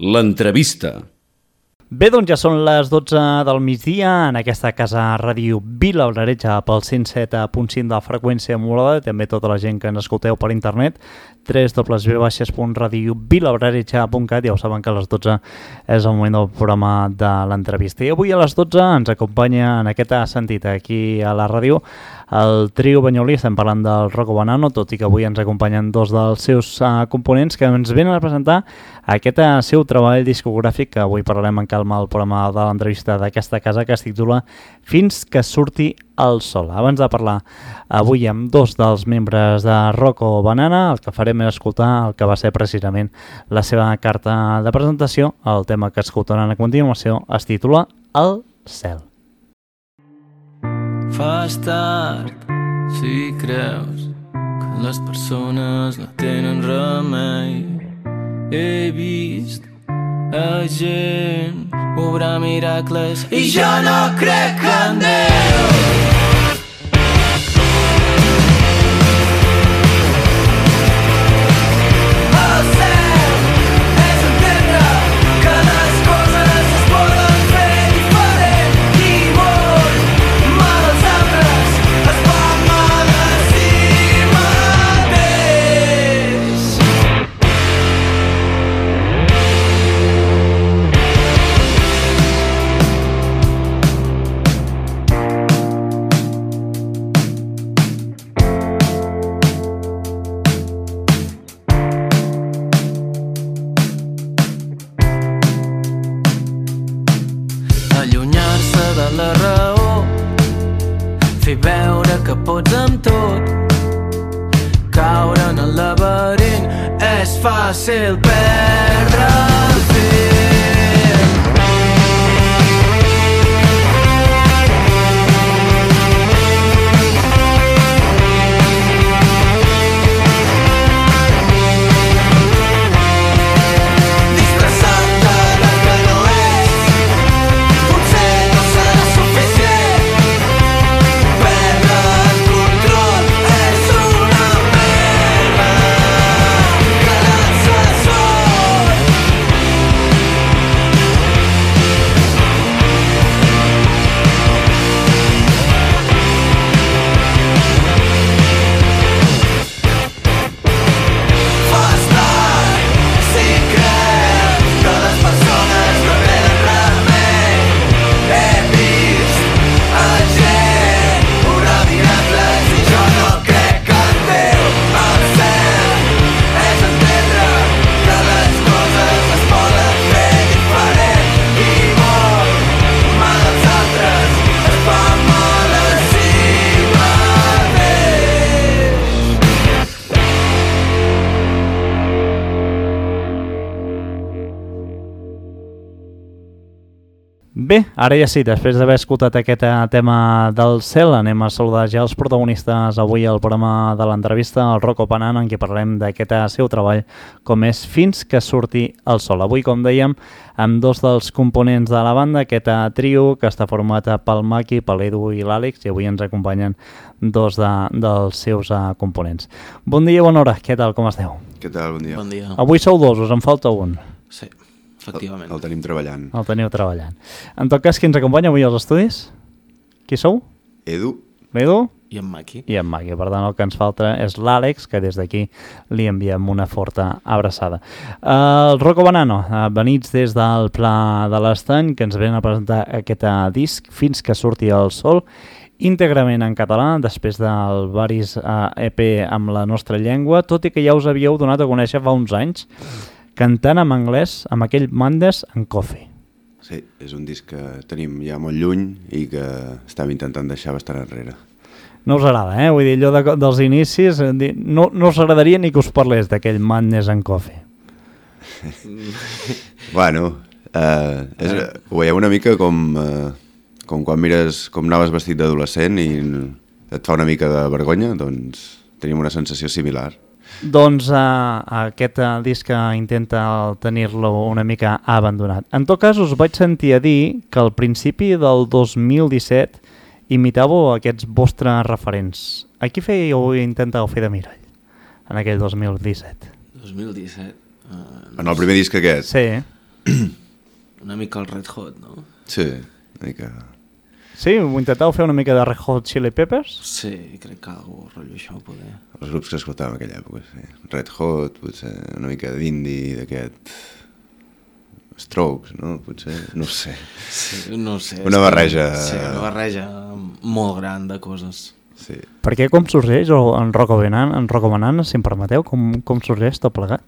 L'entrevista. Bé, doncs ja són les 12 del migdia en aquesta casa ràdio Vila Algareja pel 107.5 de la freqüència modulada, també tota la gent que ens escolteu per internet, www.radiovilaalgareja.cat. Ja ho saben que a les 12 és el moment del programa de l'entrevista. I avui a les 12 ens acompanya en aquest sentit aquí a la ràdio el trio banyolí. Estem parlant del Rocco Banano, tot i que avui ens acompanyen dos dels seus components que ens venen a presentar aquest seu treball discogràfic, que avui parlarem en calma al programa de l'entrevista d'aquesta casa, que es titula Fins que surti el sol. Abans de parlar avui amb dos dels membres de Rocco Banano, el que farem és escoltar el que va ser precisament la seva carta de presentació. El tema que escoltaran a continuació es titula El cel. Fas tard si creus que les persones no tenen remei. He vist a gent obrar miracles i jo no crec en Déu. La raó, fer veure que pots amb tot, caure en el laberint, és fàcil perdre el fil. Bé, ara ja sí, després d'haver escoltat aquest tema del cel, anem a saludar ja els protagonistes avui al programa de l'entrevista, el Rocco Banano, en què parlem d'aquest seu treball com és Fins que surti el sol. Avui, com dèiem, amb dos dels components de la banda, aquest trio que està format pel Maki, per l'Edu i l'Àlex, i avui ens acompanyen dos dels seus components. Bon dia, bona hora, què tal, com esteu? Què tal, bon dia. Bon dia. Avui sou dos, us en falta un. Sí, efectivament. El tenim treballant. El teniu treballant. En tot cas, qui ens acompanya avui als estudis? Qui sou? Edu. L'Edu? I en Maki. I en Maki. Per tant, el que ens falta és l'Àlex, que des d'aquí li enviem una forta abraçada. El Rocco Banano, venits des del Pla de l'Estany, que ens venen a presentar aquest disc, Fins que surti el sol, íntegrament en català, després del varis EP amb la nostra llengua, tot i que ja us havíeu donat a conèixer fa uns anys, cantant en anglès amb aquell Mondays and Coffee. Sí, és un disc que tenim ja molt lluny i que estem intentant deixar bastant enrere. No us agrada, Vull dir, allò dels inicis, no us agradaria ni que us parlés d'aquell Madness and Coffee. Bueno, ho veieu una mica com quan mires com anaves vestit d'adolescent i et fa una mica de vergonya, doncs tenim una sensació similar. Doncs aquest disc intenta tenir-lo una mica abandonat. En tot cas, us vaig sentir a dir que al principi del 2017 imitàveu aquests vostres referents. A qui fèieu i intentàveu fer de mirall en aquell 2017? 2017? En el primer disc aquest? Sí. Una mica el Red Hot, no? Sí, una mica... Sí? Ho intentàveu fer una mica de Red Hot Chili Peppers? Sí, crec que algo rotllo això poder. Els grups que escoltàvem en aquella època, sí. Red Hot, potser una mica d'indie, d'aquest... Strokes, no? Potser, no sé. Sí, no sé. Una barreja... Sí, una barreja molt gran de coses. Sí. Per què com sorgeix en Rocco Banana, si em permeteu, com sorgeix tot plegat?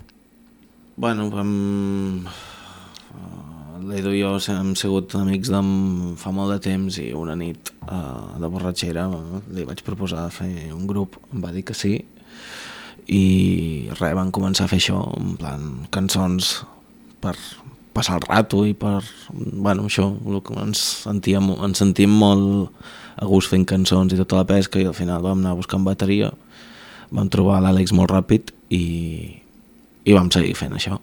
Bueno, l'Edu i jo hem sigut amics fa molt de temps i una nit de borratxera li vaig proposar fer un grup, em va dir que sí i res, van començar a fer això, en plan cançons per passar el rato i per, bueno, això, el que ens sentíem molt a gust fent cançons i tota la pesca i al final vam anar buscant bateria, vam trobar l'Àlex molt ràpid i vam seguir fent això.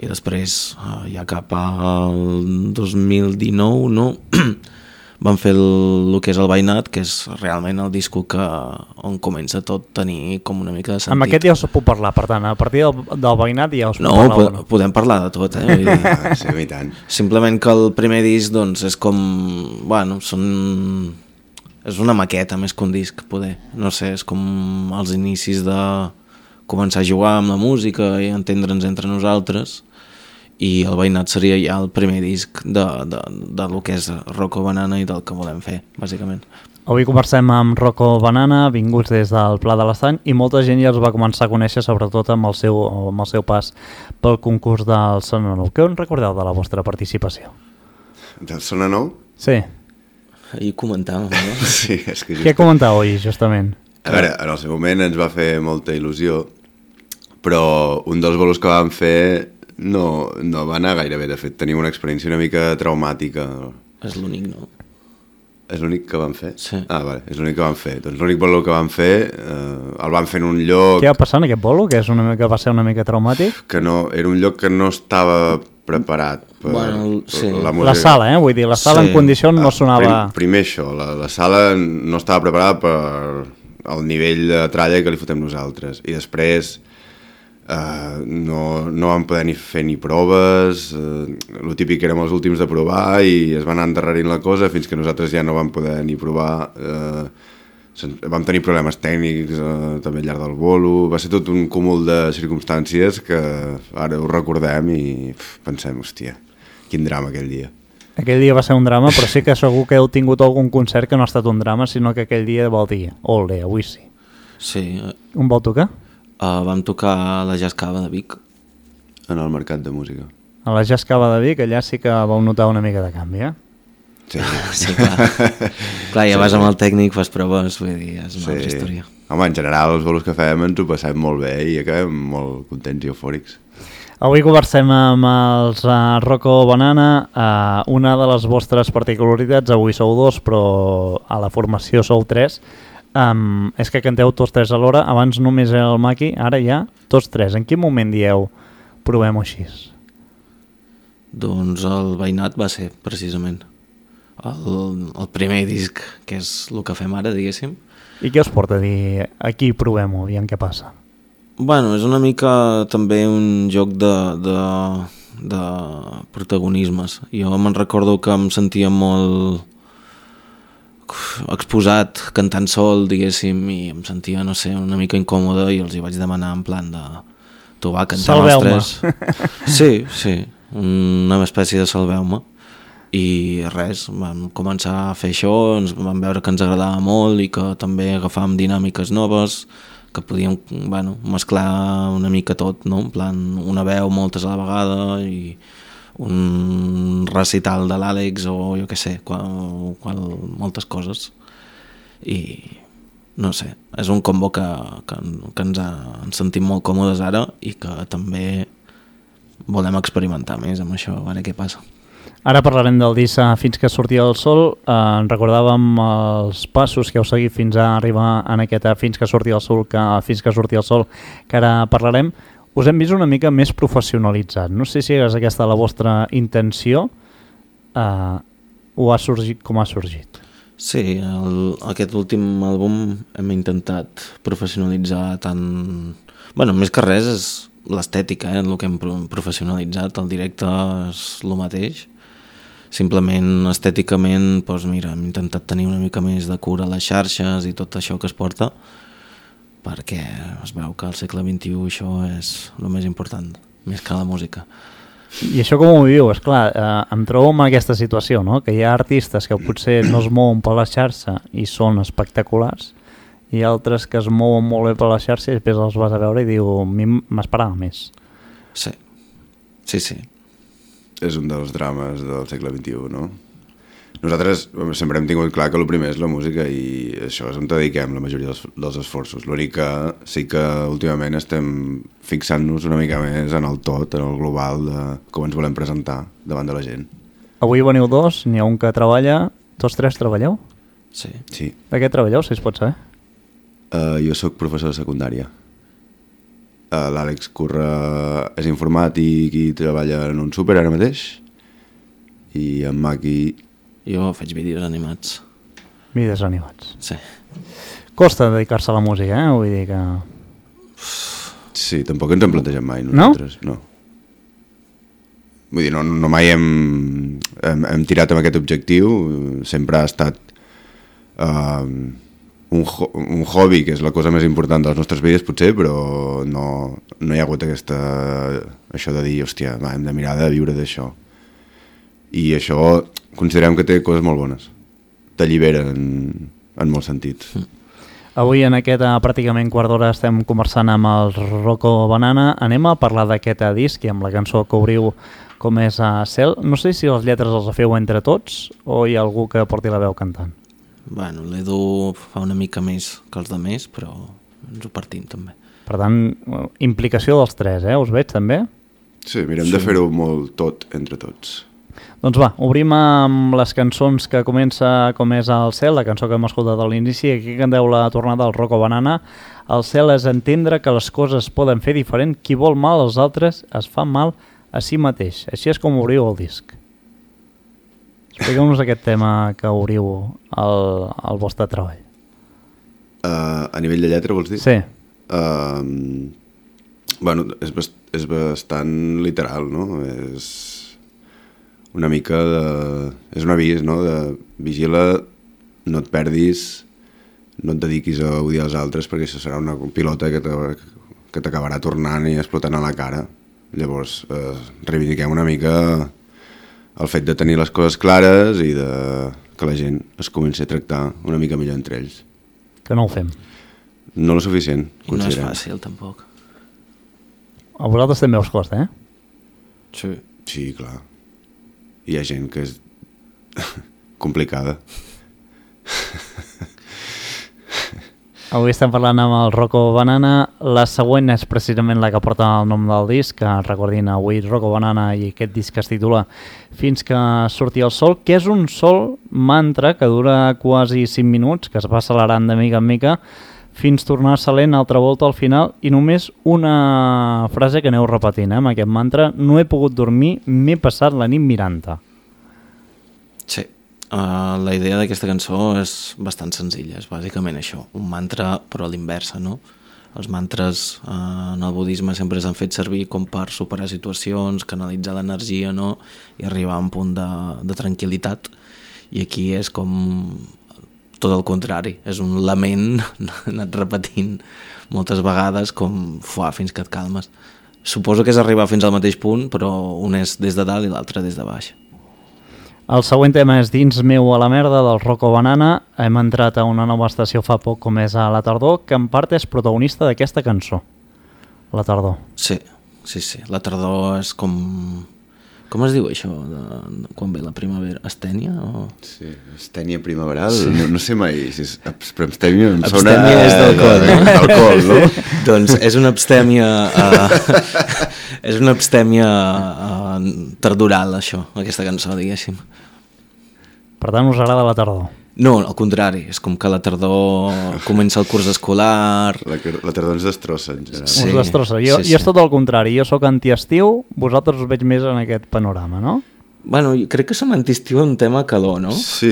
I després, ja cap al 2019, no? Vam fer el que és el Veïnat, que és realment el disco on comença tot tenir com una mica de sentit. Amb aquest ja us puc parlar, per tant, a partir del Veïnat ja us puc parlar. No, podem parlar de tot, eh? Vull dir, Sí, i tant. simplement que el primer disc, doncs, és com... Bueno, és una maqueta més que un disc, poder. No sé, és com els inicis de començar a jugar amb la música i entendre'ns entre nosaltres, i el Veïnat seria ja el primer disc de lo que és Rocco Banana i del que volem fer, bàsicament. Avui conversem amb Rocco Banana, vinguts des del Pla de l'Estany, i molta gent ja els va començar a conèixer, sobretot amb el seu pas pel concurs del Sona Nou. Què en recordeu de la vostra participació? Del Sona Nou? Sí. Ahir comentàvem, no? Sí, és que Què comentàveu ahir, justament? A veure, en el seu moment ens va fer molta il·lusió, però un dels bolos que vam fer no va anar gaire bé. De fet, tenim una experiència una mica traumàtica. És l'únic, no? És l'únic que vam fer? Sí. Ah, vale, és l'únic que vam fer. Doncs l'únic bolo que vam fer el vam fer en un lloc... Què va passar en aquest bolo, que va ser una mica traumàtic? Que no, era un lloc que no estava preparat per sí. la música. La sala, vull dir, la sala Sí. en condicions no sonava... Primer això, la sala no estava preparada per el nivell de tralla que li fotem nosaltres. I després no vam poder ni fer ni proves, el típic érem els últims de provar i es va anar endarrerint la cosa fins que nosaltres ja no vam poder ni provar. Vam tenir problemes tècnics també al llarg del bolo. Va ser tot un cúmul de circumstàncies que ara ho recordem i pensem, hòstia, quin drama aquell dia. Aquell dia va ser un drama, però sí que segur que heu tingut algun concert que no ha estat un drama, sinó que aquell dia vol dir, ole, avui sí. Sí. On vau tocar? Vam tocar a la Jazz Cava de Vic. En el mercat de música. A la Jazz Cava de Vic, allà sí que vau notar una mica de canvi, Sí. Sí, clar. Clar, ja vas amb el tècnic, fas proves, vull dir, és una altra història. Home, en general, els bolos que fem ens ho passem molt bé i acabem molt contents i eufòrics. Avui conversem amb els Rocco Banana. Una de les vostres particularitats, avui sou dos, però a la formació sou tres, és que canteu tots tres alhora. Abans només era el Maki, ara ja tots tres. En quin moment dieu provem-ho així? Doncs el Veïnat va ser, precisament, el primer disc, que és el que fem ara, diguéssim. I què us porta a dir aquí provem-ho, aviam què passa? Bueno, és una mica també un joc de protagonismes. Jo me'n recordo que em sentia molt exposat cantant sol, diguéssim, i em sentia, no sé, una mica incòmode i els hi vaig demanar en plan de tu va, cantem els tres. Sí, una espècie de salveu-me. I res, vam començar a fer això, ens vam veure que ens agradava molt i que també agafàvem dinàmiques noves, que podíem, bueno, mesclar una mica tot, no? En plan, una veu moltes a la vegada i un recital de l'Àlex o jo què sé, moltes coses. I no sé, és un combo que ens sentim molt còmodes ara i que també volem experimentar més amb això, a veure què passa. Ara parlarem del disc Fins que sortia el sol. En recordàvem els passos que heu seguit fins a arribar en aquest Fins que sortia el sol, que ara parlarem. Us hem vist una mica més professionalitzat. No sé si és aquesta la vostra intenció o ha sorgit com ha sorgit. Sí, aquest últim àlbum hem intentat professionalitzar tant... Bueno, més que res és l'estètica, el que hem professionalitzat, el directe és el mateix. Simplement, estèticament, doncs mira, hem intentat tenir una mica més de cura a les xarxes i tot això que es porta, perquè es veu que al segle XXI això és el més important, més que la música. I això com ho viu? Esclar, em trobo en aquesta situació, no? Que hi ha artistes que potser no es mouen per la xarxa i són espectaculars, i altres que es mouen molt bé per la xarxa i després els vas a veure i diu, m'esperava més. Sí, sí, sí. És un dels drames del segle XXI, no? Nosaltres sempre hem tingut clar que el primer és la música i això és on dediquem la majoria dels esforços. L'únic que sí que últimament estem fixant-nos una mica més en el tot, en el global de com ens volem presentar davant de la gent. Avui veniu dos, n'hi ha un que treballa, tots tres treballeu? Sí. Sí. De què treballeu, si es pot saber? Jo sóc professor de secundària. L'Àlex Curra és informàtic i treballa en un súper ara mateix, i en Maki... Jo faig vídeos animats. Vídeos animats. Sí. Costa dedicar-se a la música, Vull dir que... Sí, tampoc ens hem plantejat mai nosaltres. No? Vull dir, no mai hem tirat amb aquest objectiu, sempre ha estat un hobby, que és la cosa més important de les nostres vides potser, però no hi ha hagut això de dir, hòstia, hem de mirar de viure d'això. I això considerem que té coses molt bones. T'allibera en molts sentits. Avui en aquest pràcticament quart d'hora estem conversant amb el Rocco Banana. Anem a parlar d'aquest disc i amb la cançó que obriu, com és Cel. No sé si les lletres les feu entre tots o hi ha algú que porti la veu cantant. Bueno, l'Edu fa una mica més que els altres, però ens ho partim també. Per tant, implicació dels tres, us veig també? Sí, mirem de fer-ho molt tot entre tots. Doncs va, obrim amb les cançons que comença com és el Cel, la cançó que hem escoltat a l'inici. Aquí canteu la tornada del Rocco Banana. El Cel és entendre que les coses poden fer diferent. Qui vol mal als altres es fa mal a si mateix. Així és com obriu el disc. Expliqueu-nos aquest tema que obriu al vostre treball. A nivell de lletra, vols dir? Sí. Bueno, és bastant literal, no? És una mica de... És un avís, no? De vigila, no et perdis, no et dediquis a odiar els altres, perquè això serà una pilota que t'acabarà tornant i explotant a la cara. Llavors, reivindiquem una mica el fet de tenir les coses clares i que la gent es comenci a tractar una mica millor entre ells. Que no ho fem. No lo suficient, I no és considerem. fàcil, tampoc. A vosaltres també us costa, Sí. Sí, clar. Hi ha gent que és complicada. Avui estem parlant amb el Rocco Banana. La següent és precisament la que porta el nom del disc, que recordin avui Rocco Banana i aquest disc que es titula Fins que surti el sol, que és un sol mantra que dura quasi 5 minuts, que es va accelerant de mica en mica, fins tornar-se lent altra volta al final, i només una frase que aneu repetint, amb aquest mantra: no he pogut dormir, m'he passat la nit mirant-te. Sí. La idea d'aquesta cançó és bastant senzilla, és bàsicament això, un mantra però a l'inversa, no? Els mantres en el budisme sempre s'han fet servir com per superar situacions, canalitzar l'energia, no? I arribar a un punt de tranquil·litat, i aquí és com tot el contrari, és un lament anat repetint moltes vegades com fins que et calmes. Suposo que és arribar fins al mateix punt, però un és des de dalt i l'altre des de baix. El següent tema és Dins meu a la merda, del Rocco Banana. Hem entrat a una nova estació fa poc, com és a La Tardor, que en part és protagonista d'aquesta cançó, La Tardor. Sí. La tardor és com... Com es diu això, quan ve la primavera? Astènia? O... Sí, astènia primaveral, sí. No sé mai si és... Però abstèmia em sona... Abstèmia és d'alcohol, no? D'alcohol, no? Doncs és una abstèmia... és una abstèmia tardoral, això, aquesta cançó, diguéssim. Per tant, us agrada La Tardor? No, al contrari, és com que la tardor comença el curs escolar... La tardor ens destrossa, en general. Sí, us destrossa. Jo és tot el contrari, jo sóc antiestiu, vosaltres us veig més en aquest panorama, no? Bueno, jo crec que som antiestiu en tema calor, no? Sí,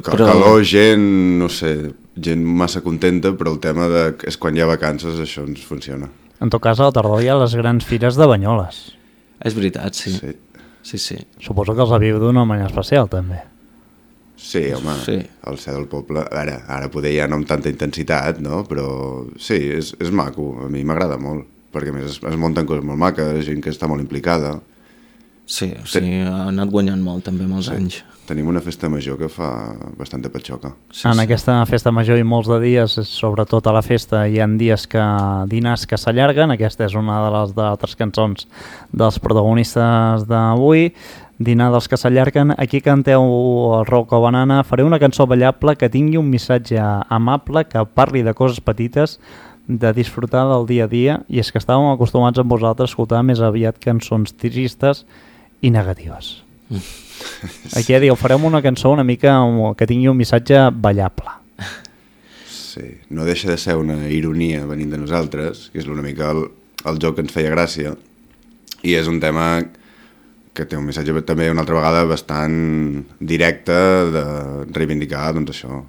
calor, gent, no sé, gent massa contenta, però el tema és quan hi ha vacances, això ens funciona. En tot cas, a la tardor hi ha les grans fires de Banyoles. És veritat, sí. Sí. Suposo que els viu d'una manera especial, també. Sí, home, sí. El ser del poble... Ara poder ja no amb tanta intensitat, no? Però sí, és maco, a mi m'agrada molt, perquè a més es munten coses molt maques, gent que està molt implicada. Sí, ha anat guanyant molt també amb els anys. Tenim una festa major que fa bastanta patxoca. Aquesta festa major i molts de dies, sobretot a la festa, hi ha dinars que s'allarguen. Aquesta és una de les altres cançons dels protagonistes d'avui. Dinar dels que s'allarguen. Aquí canteu el Rocco Banana. Faré una cançó ballable que tingui un missatge amable, que parli de coses petites, de disfrutar del dia a dia, i és que estàvem acostumats amb vosaltres a escoltar més aviat cançons tristes i negatives. Aquí diu, farem una cançó una mica que tingui un missatge ballable. Sí, no deixa de ser una ironia venint de nosaltres, que és una mica el joc que ens feia gràcia, i és un tema que té un missatge també una altra vegada bastant directe de reivindicar, doncs això,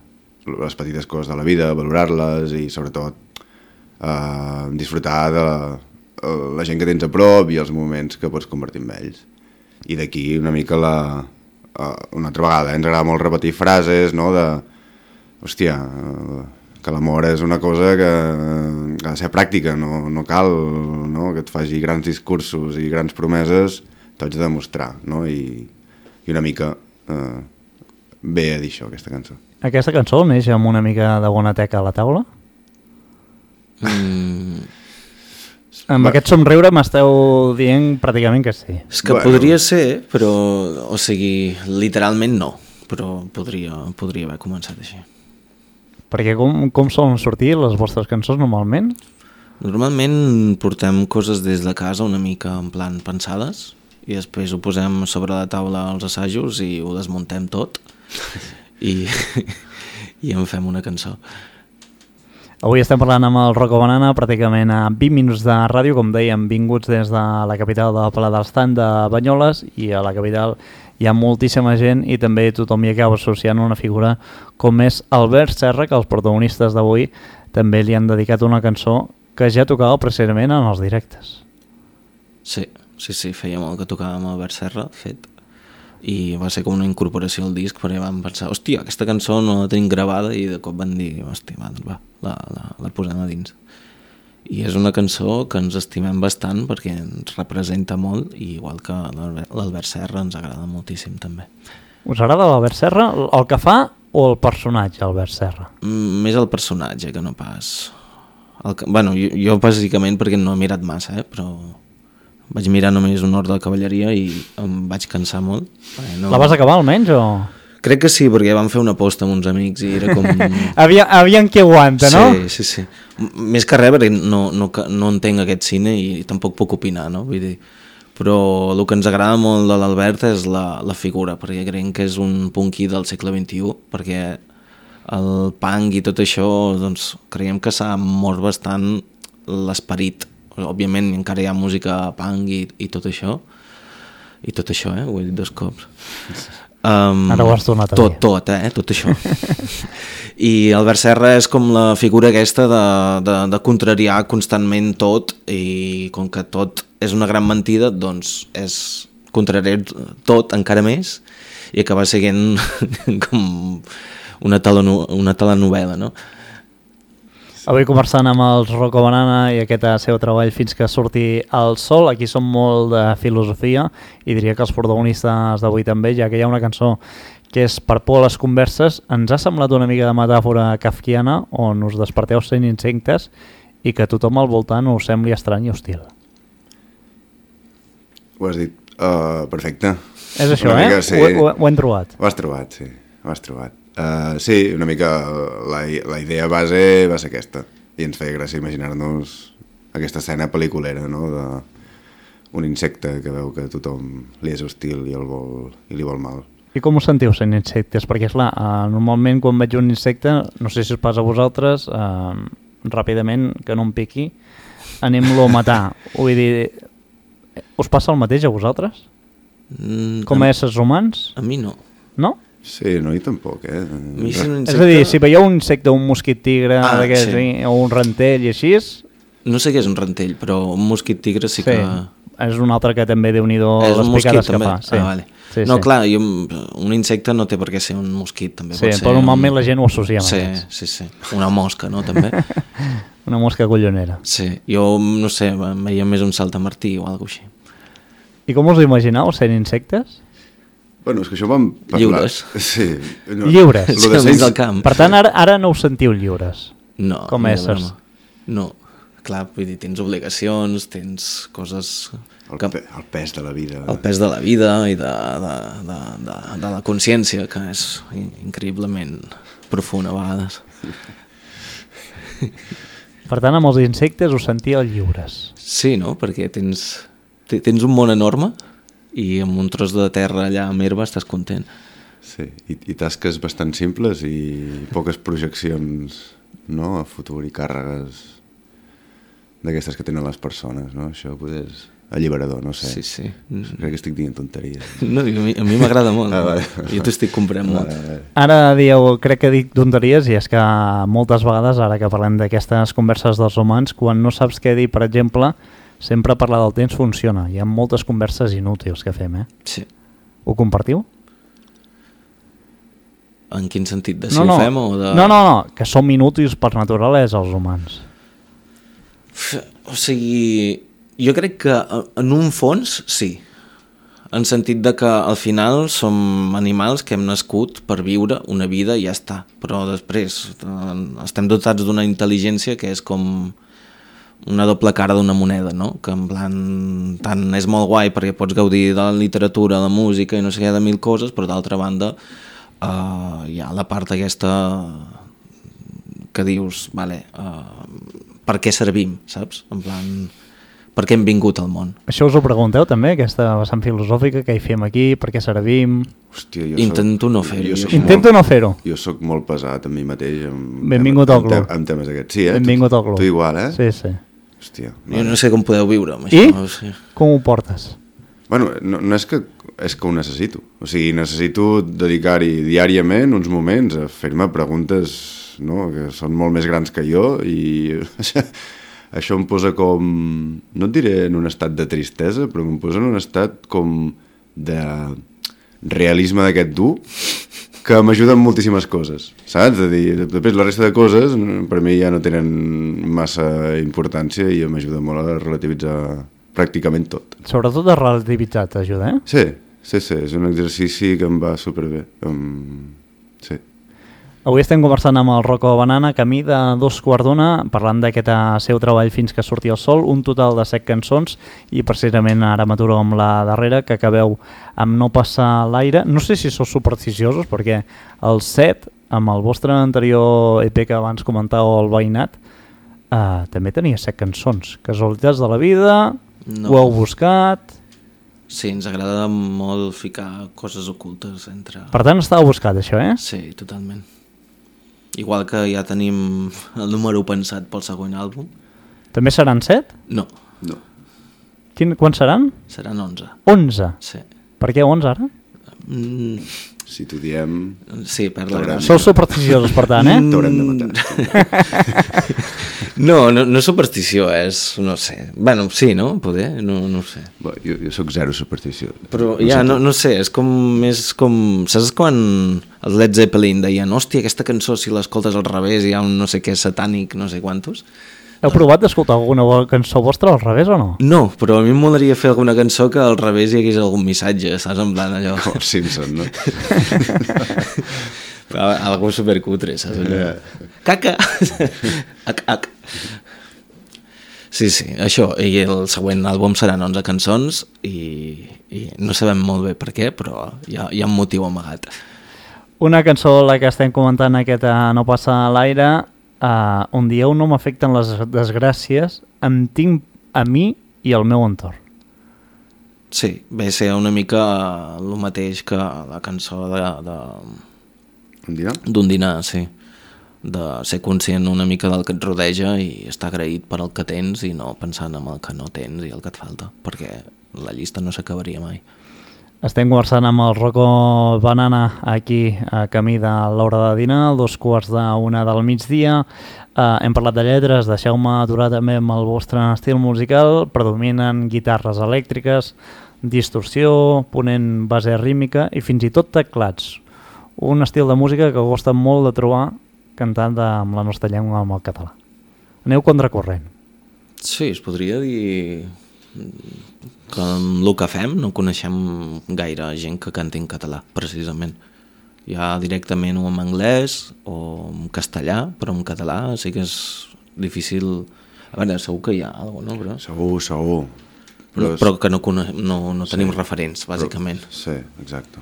les petites coses de la vida, valorar-les i sobretot disfrutar de la gent que tens a prop i els moments que pots convertir en ells. I d'aquí una mica una altra vegada ens agrada molt repetir frases, no, de hòstia, que l'amor és una cosa que ha de ser pràctica, no cal, no, que et faci grans discursos i grans promeses, t'ho haig de demostrar, no? I una mica ve a dir això, aquesta cançó. Aquesta cançó neix amb una mica de bona teca a la taula? Amb aquest somriure m'esteu dient pràcticament que sí. És que podria ser, però, o sigui, literalment no, però podria haver començat així. Perquè com solen sortir les vostres cançons normalment? Normalment portem coses des de casa una mica en plan pensades, i després ho posem sobre la taula als assajos i ho desmuntem tot i en fem una cançó. Avui estem parlant amb el Rocco Banana pràcticament a 20 minuts de ràdio, com dèiem, vinguts des de la capital del Pla del Estant de Banyoles, i a la capital hi ha moltíssima gent i també tothom hi acaba associant una figura com és Albert Serra, que els protagonistes d'avui també li han dedicat una cançó que ja tocava precisament en els directes. Sí, feia molt que tocàvem amb Albert Serra, fet, i va ser com una incorporació al disc, perquè vam pensar, hòstia, aquesta cançó no la tenim gravada, i de cop van dir, hòstia, va, la posem a dins. I és una cançó que ens estimem bastant perquè ens representa molt, i igual que l'Albert Serra ens agrada moltíssim també. Us agrada l'Albert Serra, el que fa o el personatge, Albert Serra? Més el personatge que no pas... Jo bàsicament perquè no he mirat massa, però... Vaig mirar només un ordre de cavalleria i em vaig cansar molt. La vas acabar almenys o...? Crec que sí, perquè vam fer una aposta amb uns amics i era com... Aviam qui aguanta, no? Sí. Més que res, perquè no entenc aquest cine i tampoc puc opinar, no? Vull dir, però el que ens agrada molt de l'Albert és la figura, perquè creiem que és un punky del segle XXI, perquè el punk i tot això, doncs, creiem que s'ha mort bastant l'esperit. Òbviament encara hi ha música punk i tot això, ho he dit 2 cops. Ara ho has tornat a dir. Tot això. I Albert Serra és com la figura aquesta de contrariar constantment tot, i com que tot és una gran mentida, doncs és contrariar tot encara més i acabar seguint com una telenovel·la, no? Avui conversant amb el Rocco Banana i aquest seu treball Fins que surti el sol. Aquí som molt de filosofia i diria que els protagonistes d'avui també, ja que hi ha una cançó que és Per por a les converses. Ens ha semblat una mica de metàfora kafkiana on us desperteu sent insectes i que tothom al voltant us sembli estrany i hostil. Ho has dit perfecte. És això, mica, sí. Ho hem trobat. Ho has trobat, sí. Ho has trobat. Sí, una mica la idea base va ser aquesta, i ens feia gràcia imaginar-nos aquesta escena pel·liculera, no? d'un insecte que veu que tothom li és hostil i li vol mal. I com us sentiu sent insectes? Perquè clar, normalment quan veig un insecte, no sé si us passa a vosaltres, ràpidament, que no em piqui, anem-lo a matar. Vull dir, us passa el mateix a vosaltres? Com a éssers humans? A mi no. No? Sí, no, i tampoc, És a dir, si veieu un insecte, un mosquit tigre, o un rentell i així, No sé què és un rentell, però un mosquit tigre sí que... És un altre que també Déu-n'hi-do les picades que fa. Sí. Vale. No, clar, un insecte no té per què ser un mosquit, també pot ser... Però normalment la gent ho associa amb aquests. Sí. Una mosca, no, també? Una mosca collonera. Sí, jo, no sé, em veia més un saltamartí o alguna cosa així. I com us ho imagineu, sent insectes? Bueno, és que això vam parlar... Lliures. Sí. No. Lliures. Del camp. Per tant, ara no us sentiu lliures. No. Com éssers. No. Clar, vull dir, tens obligacions, tens coses... El pes de la vida. El pes de la vida i de la consciència, que és increïblement profund a vegades. Per tant, amb els insectes us sentíeu lliures. Sí, no? Perquè tens un món enorme i amb un tros de terra allà amb herba estàs content. Sí, i tasques bastant simples i poques projeccions, no?, a futur i càrregues d'aquestes que tenen les persones, no? Això potser és alliberador, no sé. Sí. Crec que estic dient tonteries. No, a mi m'agrada molt. Vale. Jo t'estic comprant molt. Ara dieu, crec que dic tonteries, i és que moltes vegades, ara que parlem d'aquestes converses dels humans, quan no saps què dir, per exemple, sempre parlar del temps funciona. Hi ha moltes converses inútils que fem, Sí. Ho compartiu? En quin sentit? De si ho fem o de... No, que som inútils per naturalesa els humans. O sigui, jo crec que en un fons sí, en sentit de que al final som animals que hem nascut per viure una vida i ja està, però després estem dotats d'una intel·ligència que és com una doble cara d'una moneda, no? Que en plan, tant és molt guai perquè pots gaudir de la literatura, la música i no sé què, de mil coses, però d'altra banda hi ha la part aquesta que dius, vale, per què servim, saps? En plan, per què hem vingut al món? Això us ho pregunteu també, aquesta vessant filosòfica, que hi fem aquí, per què servim? Hòstia, Intento no fer-ho. Intento no fer-ho. Jo sóc molt pesat amb mi mateix. Benvingut al club. Amb temes aquests. Sí, Benvingut al club. Tu igual, Sí. Hòstia. Jo no sé com podeu viure amb això. I? No sé. Com ho portes? Bueno, no és que ho necessito. O sigui, necessito dedicar-hi diàriament uns moments a fer-me preguntes, no?, que són molt més grans que jo, i això em posa com, no et diré en un estat de tristesa, però em posa en un estat com de realisme d'aquest dur, que m'ajuda en moltíssimes coses, saps? És a dir, després la resta de coses per mi ja no tenen massa importància i m'ajuda molt a relativitzar pràcticament tot. Sobretot a relativitzar t'ajuda, Sí, és un exercici que em va superbé. Sí. Avui estem conversant amb el Rocco Banana, camí de 2:15, parlant d'aquest seu treball Fins que surti el sol, un total de 7 cançons, i precisament ara m'aturo amb la darrera, que acabeu amb No passar l'aire. No sé si sou supersticiosos, perquè el 7, amb el vostre anterior EP que abans comentàveu, el Veïnat, també tenia 7 cançons. Casualitats de la vida, ho heu buscat... Sí, ens agrada molt ficar coses ocultes entre... Per tant, estava buscat, això, Sí, totalment. Igual que ja tenim el número pensat pel següent àlbum. També seran 7? No. Quants seran? Seran 11. 11? Sí. Per què 11 ara? Si t'ho diem... Sí, per la gràcia. Sou supersticiosos, per tant, T'haurem de matar. No superstició, és... No sé. Bueno, sí, no? Poder? No sé. Bé, jo sóc zero superstició. Però ja, no sé, és com... Saps quan els Led Zeppelin deien hòstia, aquesta cançó, si l'escoltes al revés hi ha un no sé què satànic, no sé quantos? Heu provat d'escoltar alguna cançó vostra al revés o no? No, però a mi em molaria fer alguna cançó que al revés hi hagués algun missatge, saps? En plan allò... Com els Simpson, no? Algo supercutre, saps? Caca! Ac. Sí, això. I el següent àlbum seran 11 cançons i no sabem molt bé per què, però hi ha un motiu amagat. Una cançó, la que estem comentant, aquesta No passa a l'aire... on dieu no m'afecten les desgràcies, em tinc a mi i al meu entorn. Sí, ve a ser una mica el mateix que la cançó d'un dinar, sí. De ser conscient una mica del que et rodeja i estar agraït per el que tens i no pensant en el que no tens i el que et falta, perquè la llista no s'acabaria mai. Estem conversant amb el Rocco Banana aquí a camí de l'hora de dinar, 2:45 del migdia. Hem parlat de lletres, deixeu-me aturar també amb el vostre estil musical. Predominen guitarres elèctriques, distorsió, ponent base rítmica i fins i tot teclats. Un estil de música que costa molt de trobar cantant amb la nostra llengua, amb el català. Aneu contracorrent. Sí, es podria dir que amb el que fem no coneixem gaire gent que canti en català, precisament. Ja directament o en anglès o en castellà, però en català sí que és difícil. A veure, segur que hi ha alguna cosa, no? Segur. Però que no tenim referents, bàsicament. Sí, exacte.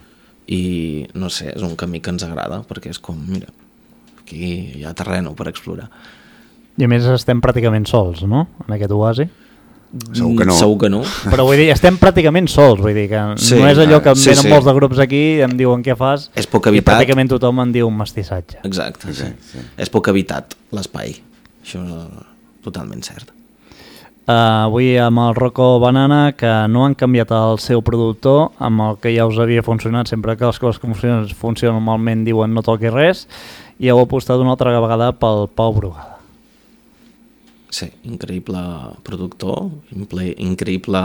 I no sé, és un camí que ens agrada, perquè és com, mira, aquí hi ha terreno per explorar. I a més estem pràcticament sols, no?, en aquest oasi. Segur que no. Segur que no. Però vull dir, estem pràcticament sols, vull dir que sí, no és allò que em venen sí. molts de grups aquí i em diuen què fas, és poc habitat. I pràcticament tothom en diu un mestissatge. Exacte, sí. És poc habitat l'espai, això és totalment cert. Avui amb el Rocco Banana, que no han canviat el seu productor, amb el que ja us havia funcionat, sempre que les coses que funcionen normalment diuen no toqui res, i heu apostat una altra vegada pel Pau Brugada. Sí, increïble productor, increïble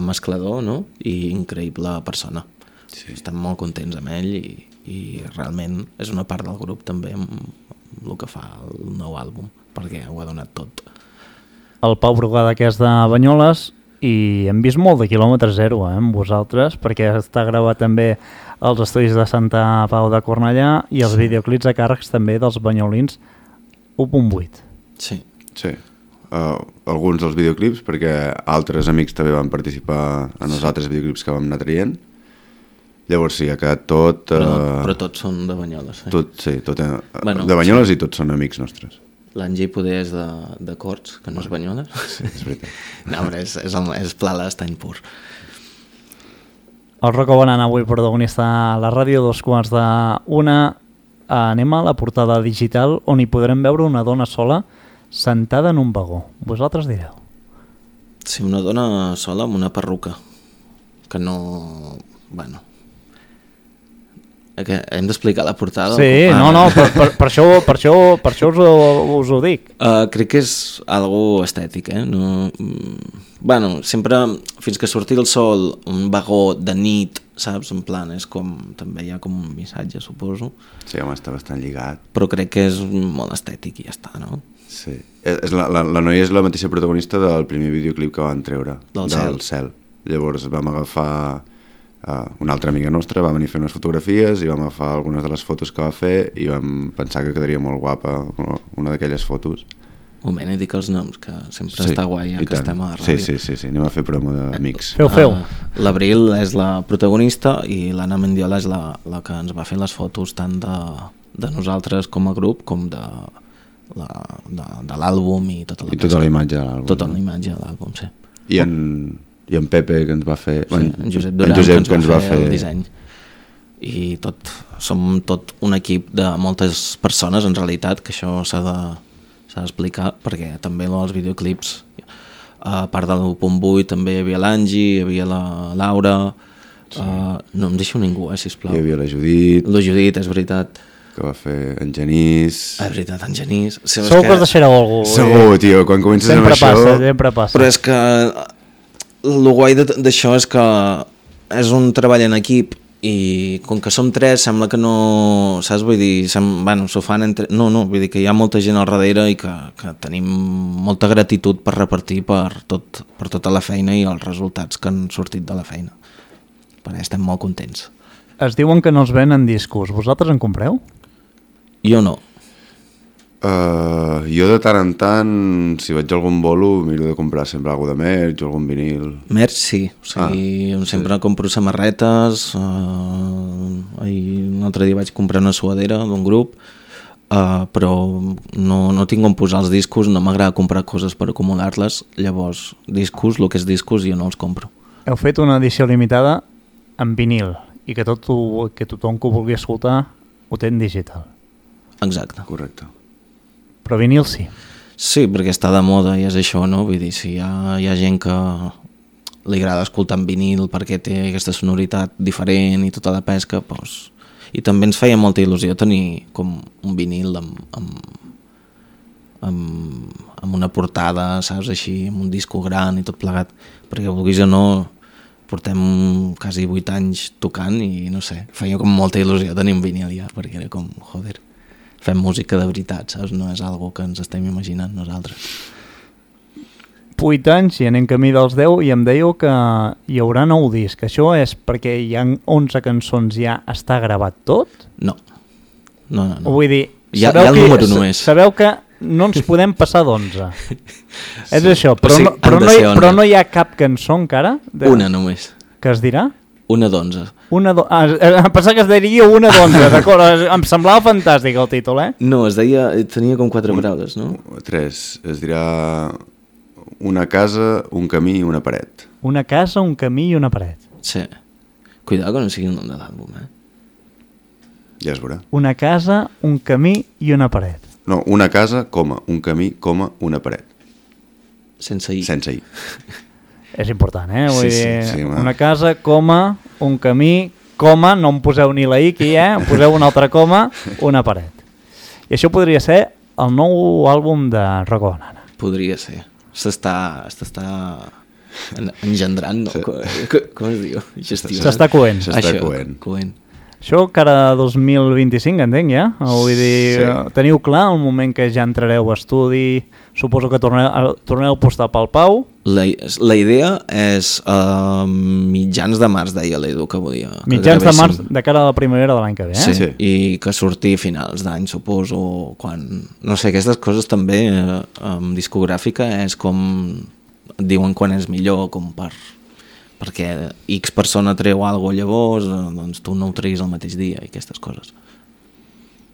mesclador, no? I increïble persona. Sí. Estem molt contents amb ell i realment és una part del grup també amb el que fa el nou àlbum, perquè ho ha donat tot. El Pau Brugada, que és de Banyoles, i hem vist molt de quilòmetre zero amb vosaltres, perquè està gravat també als estudis de Santa Pau de Cornellà i els videoclips a càrrecs també dels banyolins 1.8. Sí. Sí, alguns dels videoclips, perquè altres amics també van participar en els altres videoclips que vam anar traient. Llavors sí, ha quedat tot... Però tots són de Banyoles. Bueno, de Banyoles sí. I tots són amics nostres. L'Angie poder és de Corts, que no és Banyoles. Sí, és veritat. No, però és pla l'estany pur. El Rocco Banana avui protagonista a la ràdio, 2:45. Anem a la portada digital on hi podrem veure una dona sola sentada en un vagó. Vosaltres direu. Sí, una dona sola amb una perruca. Que no... Bueno... Que hem d'explicar la portada? Sí, no, per això us ho dic. Crec que és algo estètic, no, bueno, sempre, fins que surti el sol, un vagó de nit, saps? En plan, és com, també hi ha com un missatge, suposo. Sí, home, està bastant lligat. Però crec que és molt estètic i ja està, no? Sí. La noia és la mateixa protagonista del primer videoclip que van treure. Del cel. Llavors vam agafar... una altra amiga nostra va venir a fer unes fotografies i vam agafar algunes de les fotos que va fer i vam pensar que quedaria molt guapa una d'aquelles fotos. Un moment, he dit els noms, que sempre està guai que estem a la ràdio. Sí, anem a fer promo d'amics. Feu. L'Abril és la protagonista i l'Anna Mendiola és la que ens va fer les fotos tant de nosaltres com a grup com de l'àlbum i tota la imatge de l'àlbum. Tota la imatge de l'àlbum, sí. I en Pepe, que ens va fer... Sí, en Josep Duran, que ens va fer el disseny. I som tot un equip de moltes persones, en realitat, que això s'ha d'explicar, perquè també els videoclips, a part de l'1.8, també hi havia l'Angie, hi havia la Laura... Sí. No em deixo ningú, sisplau. Hi havia la Judit. La Judit, és veritat. Que va fer en Genís. És veritat, en Genís. Segur que us deixareu algú. Segur, tio, quan comences amb això... Sempre passa. Però és que el guai d'això és que és un treball en equip i com que som tres sembla que no, saps? Vull dir, s'ho fan entre... No, vull dir que hi ha molta gent al darrere i que tenim molta gratitud per repartir per tota la feina i els resultats que han sortit de la feina. Perquè estem molt contents. Es diuen que no es venen discos. Vosaltres en compreu? Jo no. Jo de tant en tant, si vaig a algun bolo, miro de comprar sempre alguna de merch o algun vinil. Merch sí, o sigui, sempre compro samarretes, un altre dia vaig comprar una suadera d'un grup, però no tinc on posar els discos, no m'agrada comprar coses per acumular-les, llavors discos, el que és discos jo no els compro. Heu fet una edició limitada en vinil i que tothom que ho vulgui escoltar ho té en digital. Exacte. Correcte. Però vinil sí. Sí, perquè està de moda i és això, no? Vull dir, si hi ha gent que li agrada escoltar en vinil perquè té aquesta sonoritat diferent i tota la pesca, doncs... I també ens feia molta il·lusió tenir com un vinil amb una portada, saps, així, amb un disco gran i tot plegat, perquè vulguis o no portem quasi 8 anys tocant i no sé, feia com molta il·lusió tenir un vinil ja, perquè era com, joder, fem música de veritat, saps, no és algo que ens estem imaginant nosaltres. 8 anys i anem camí dels 10 i em dèieu que hi haurà nou disc. Això és perquè hi ha 11 cançons, ja està gravat tot? No. Vull dir, hi ha el número només. Sabeu que no ens podem passar d'11. És això, però no hi ha cap cançó encara? Una només. Que es dirà? Una d'11. Pensava que es diria una d'11, d'acord? Em semblava fantàstic el títol, No, tenia com 4 paraules, no? 3, es dirà... Una casa, un camí i una paret. Una casa, un camí i una paret. Sí. Cuidado que no sigui el nom de l'àlbum, Ja es veurà. Una casa, un camí i una paret. No, una casa, coma, un camí, coma, una paret. Sense i. Sense i. És important, Vull dir, sí, una casa, coma, un camí, coma, no em poseu ni la i aquí, em poseu una altra coma, una paret. I això podria ser el nou àlbum de Rocco Banana. Podria ser. S'està engendrant, no? Sí. Com es diu? S'està coent. Coent. Això cara a 2025, entenc, ja? Vull dir, teniu clar el moment que ja entrareu a estudi, suposo que torneu a apostar pel Pau? La idea és mitjans de març, deia l'Edu, que volia. Mitjans de març de cara a la primavera de l'any que ve, Sí, i que surti a finals d'any, suposo, quan... No sé, aquestes coses també, amb discogràfica, és com... Diuen quan és millor, com perquè X persona treu alguna cosa llavors, doncs tu no ho treguis el mateix dia i aquestes coses.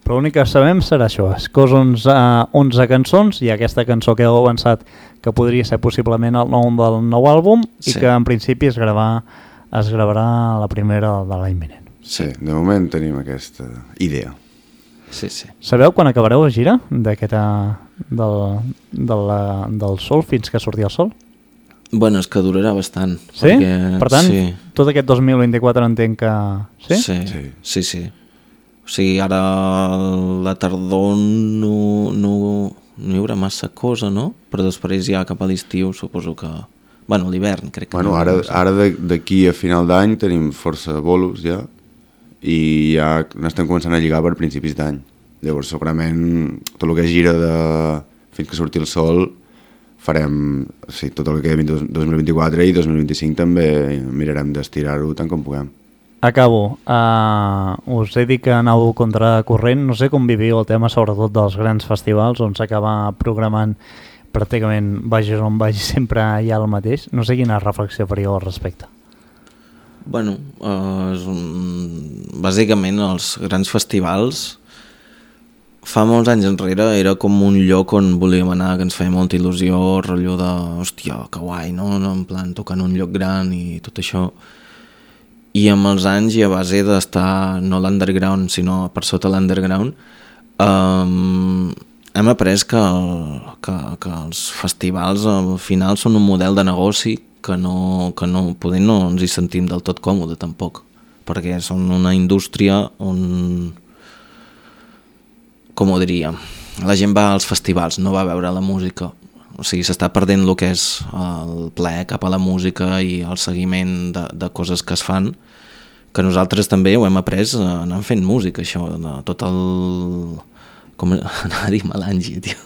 Però l'únic que sabem serà això, és que 11 cançons i aquesta cançó que heu avançat que podria ser possiblement el nom del nou àlbum i que en principi es gravarà la primera de l'any vinent. Sí, de moment tenim aquesta idea. Sí. Sabeu quan acabareu la gira del Sol fins que surti el Sol? Bueno, és que durarà bastant. Sí? Perquè, per tant, tot aquest 2024 entenc que... Sí. O sigui, ara la tardor no hi haurà massa cosa, no? Però després ja cap a l'estiu suposo que... Bueno, l'hivern crec que... Bueno, ara d'aquí a final d'any tenim força bolos ja i ja n'estem començant a lligar per principis d'any. Llavors segurament tot el que gira fins que surti el Sol farem tot el que queda 2024 i 2025 també mirarem d'estirar-ho tant com puguem. Acabo. Us he dit que anau contracorrent. No sé com viviu el tema sobretot dels grans festivals on s'acaba programant pràcticament vagis on vagis sempre hi ha el mateix. No sé quina reflexió faríeu al respecte. Bueno, bàsicament els grans festivals fa molts anys enrere era com un lloc on volíem anar, que ens feia molta il·lusió, rotllo de, hòstia, que guai, no? En plan, tocar en un lloc gran i tot això. I amb els anys i a base d'estar no l'underground, sinó per sota l'underground, hem après que els festivals al final són un model de negoci que poder no ens hi sentim del tot còmode tampoc, perquè són una indústria on... Com ho diria, la gent va als festivals, no va a veure la música. O sigui, s'està perdent el que és el plaer cap a la música i el seguiment de coses que es fan, que nosaltres també ho hem après anant fent música, això, de tot el... Com anava a dir melangi, tio.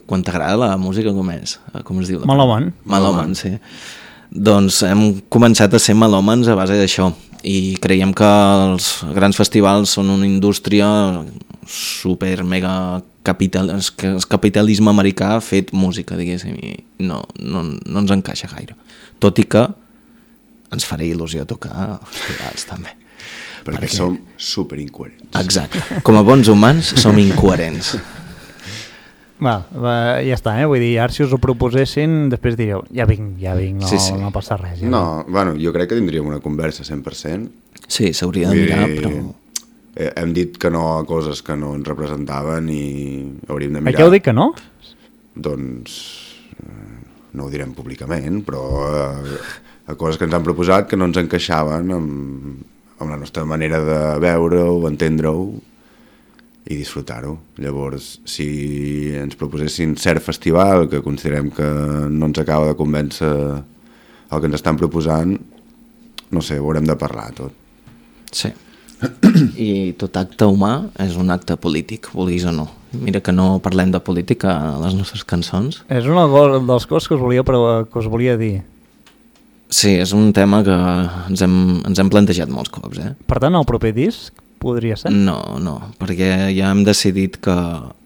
Quan t'agrada la música, com és? Com es diu? Melòman. Melòman, sí. Doncs hem començat a ser melòmans a base d'això. I creiem que els grans festivals són una indústria super mega capitalisme americà fet música, diguéssim, i no ens encaixa gaire. Tot i que ens farà il·lusió tocar festivals també. Perquè som super incoherents. Exacte. Com a bons humans som incoherents. Ja està, vull dir, ara si us ho proposessin després diríeu, ja vinc, no passa res. Ja no, bueno, jo crec que tindríem una conversa 100%. Sí, s'hauria de mirar, però... Hem dit que no a coses que no ens representaven i hauríem de mirar... Per què heu dit que no? Doncs... no ho direm públicament, però a coses que ens han proposat que no ens encaixaven amb la nostra manera de veure-ho, entendre-ho i disfrutar-ho. Llavors, si ens proposessin cert festival que considerem que no ens acaba de convèncer el que ens estan proposant, no sé, ho haurem de parlar tot. Sí. I tot acte humà és un acte polític, vulguis o no. Mira que no parlem de política a les nostres cançons. És una de les coses que us volia dir. Sí, és un tema que ens hem plantejat molts cops. Per tant, el proper disc podria ser? No, perquè ja hem decidit que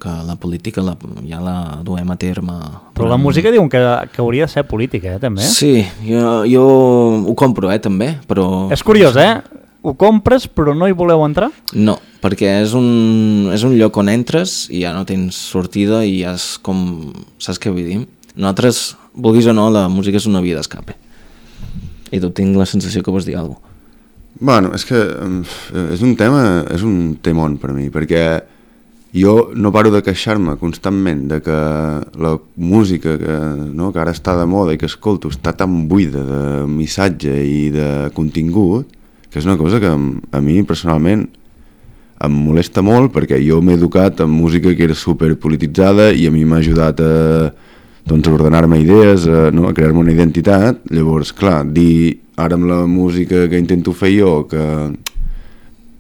la política ja la duem a terme. Però la música diuen que hauria de ser política, també? Sí, jo ho compro, també, però... És curiós, Ho compres però no hi voleu entrar? No, perquè és un lloc on entres i ja no tens sortida i ja és com... Saps què vull dir? Nosaltres, vulguis o no, la música és una via d'escape. I tu tinc la sensació que vols dir alguna cosa. Bueno, és que és un temón per mi, perquè jo no paro de queixar-me constantment de que la música que ara està de moda i que escolto està tan buida de missatge i de contingut, que és una cosa que a mi personalment em molesta molt, perquè jo m'he educat amb música que era superpolititzada i a mi m'ha ajudat a ordenar-me idees, a crear-me una identitat. Llavors, clar, dir ara amb la música que intento fer jo que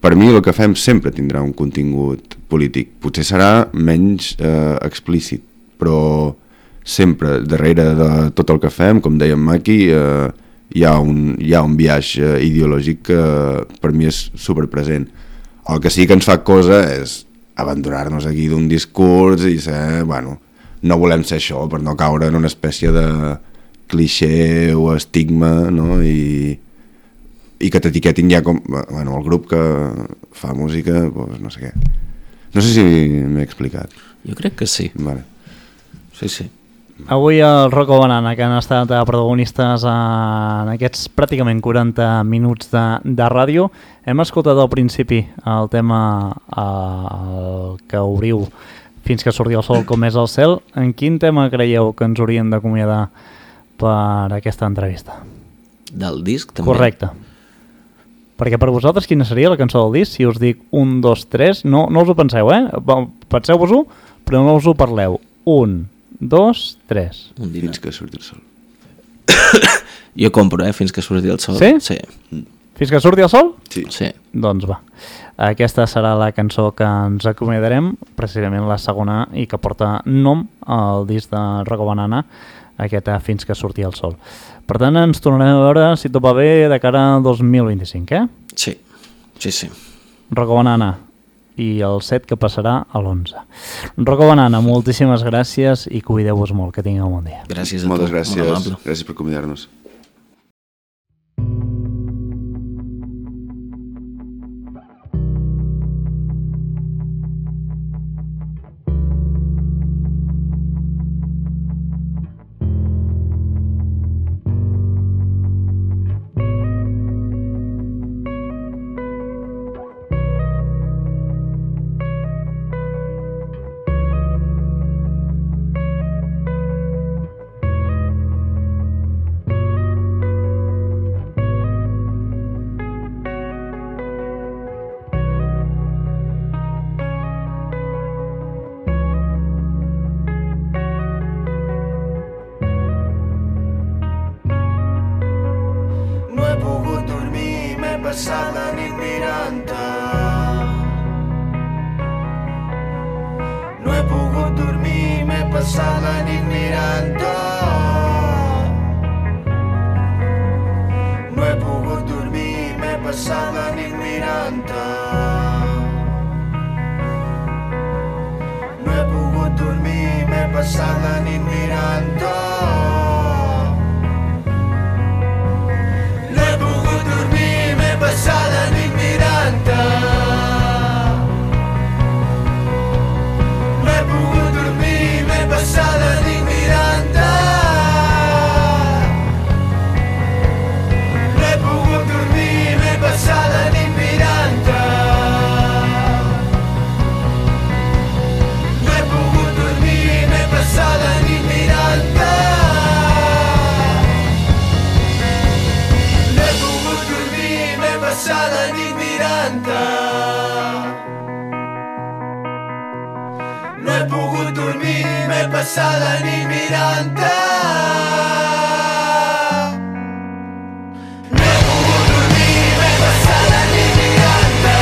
per mi el que fem sempre tindrà un contingut polític. Potser serà menys explícit, però sempre darrere de tot el que fem, com dèiem Maki, hi ha un viatge ideològic que per mi és superpresent. El que sí que ens fa cosa és abandonar-nos aquí d'un discurs i ser, no volem ser això per no caure en una espècie de cliché o estigma, no? I que t'etiquetin ja com el grup que fa música, doncs no sé què. No sé si m'he explicat. Jo crec que sí. Vale. Sí. Avui el Rocco Banana, que han estat protagonistes en aquests pràcticament 40 minuts de ràdio, hem escoltat al principi el tema que obriu Fins que surti el sol com és el cel. En quin tema creieu que ens haurien d'acomiadar per aquesta entrevista? Del disc, també? Correcte. Perquè per vosaltres quina seria la cançó del disc? Si us dic 1, 2, 3, no us ho penseu, penseu-vos-ho, però no us ho parleu. 1, 2, 3. Fins que surti el sol. Jo compro, Fins que surti el sol. Sí? Sí. Fins que surti el sol? Sí. Doncs va. Aquesta serà la cançó que ens acomiadarem, precisament la segona, i que porta nom al disc de Rocco Banana, aquest Fins que surti el sol. Per tant, ens tornarem a veure, si tot va bé, de cara al 2025, Sí. Rocco Banana i el 7 que passarà a l'11. Rocco Banana, moltíssimes gràcies i cuideu-vos molt, que tingueu un bon dia. Gràcies a tu. Moltes gràcies. Gràcies per convidar-nos. Passada nit mirant passat la nit mirant-te. No he pogut dormir, m'he passat la nit mirant-te. No he pogut dormir, m'he passat la nit mirant-te.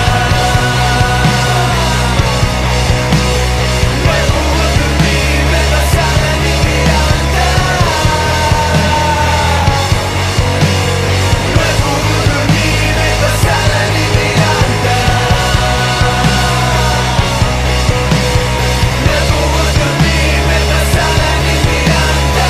No he pogut dormir, m'he passat la nit mirant-te. No he pogut dormir, m'he passat la nit mirant-te. No he pogut dormir, m'he passat la nit mirant-te. No he pogut dormir, m'he passat la nit mirant-te.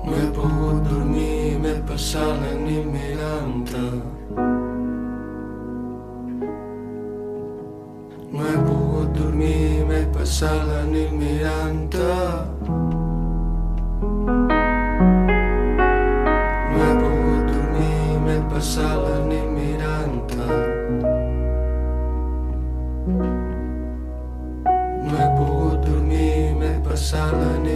No he pogut dormir, m'he passat la nit mirant-te. No he pogut dormir, m'he passat la nit mirant-te. No he pogut dormir, m'he passat la nit mirant-te. No he pogut dormir, m'he passat la nit mirant-te. No he pogut dormir, m'he passat la nit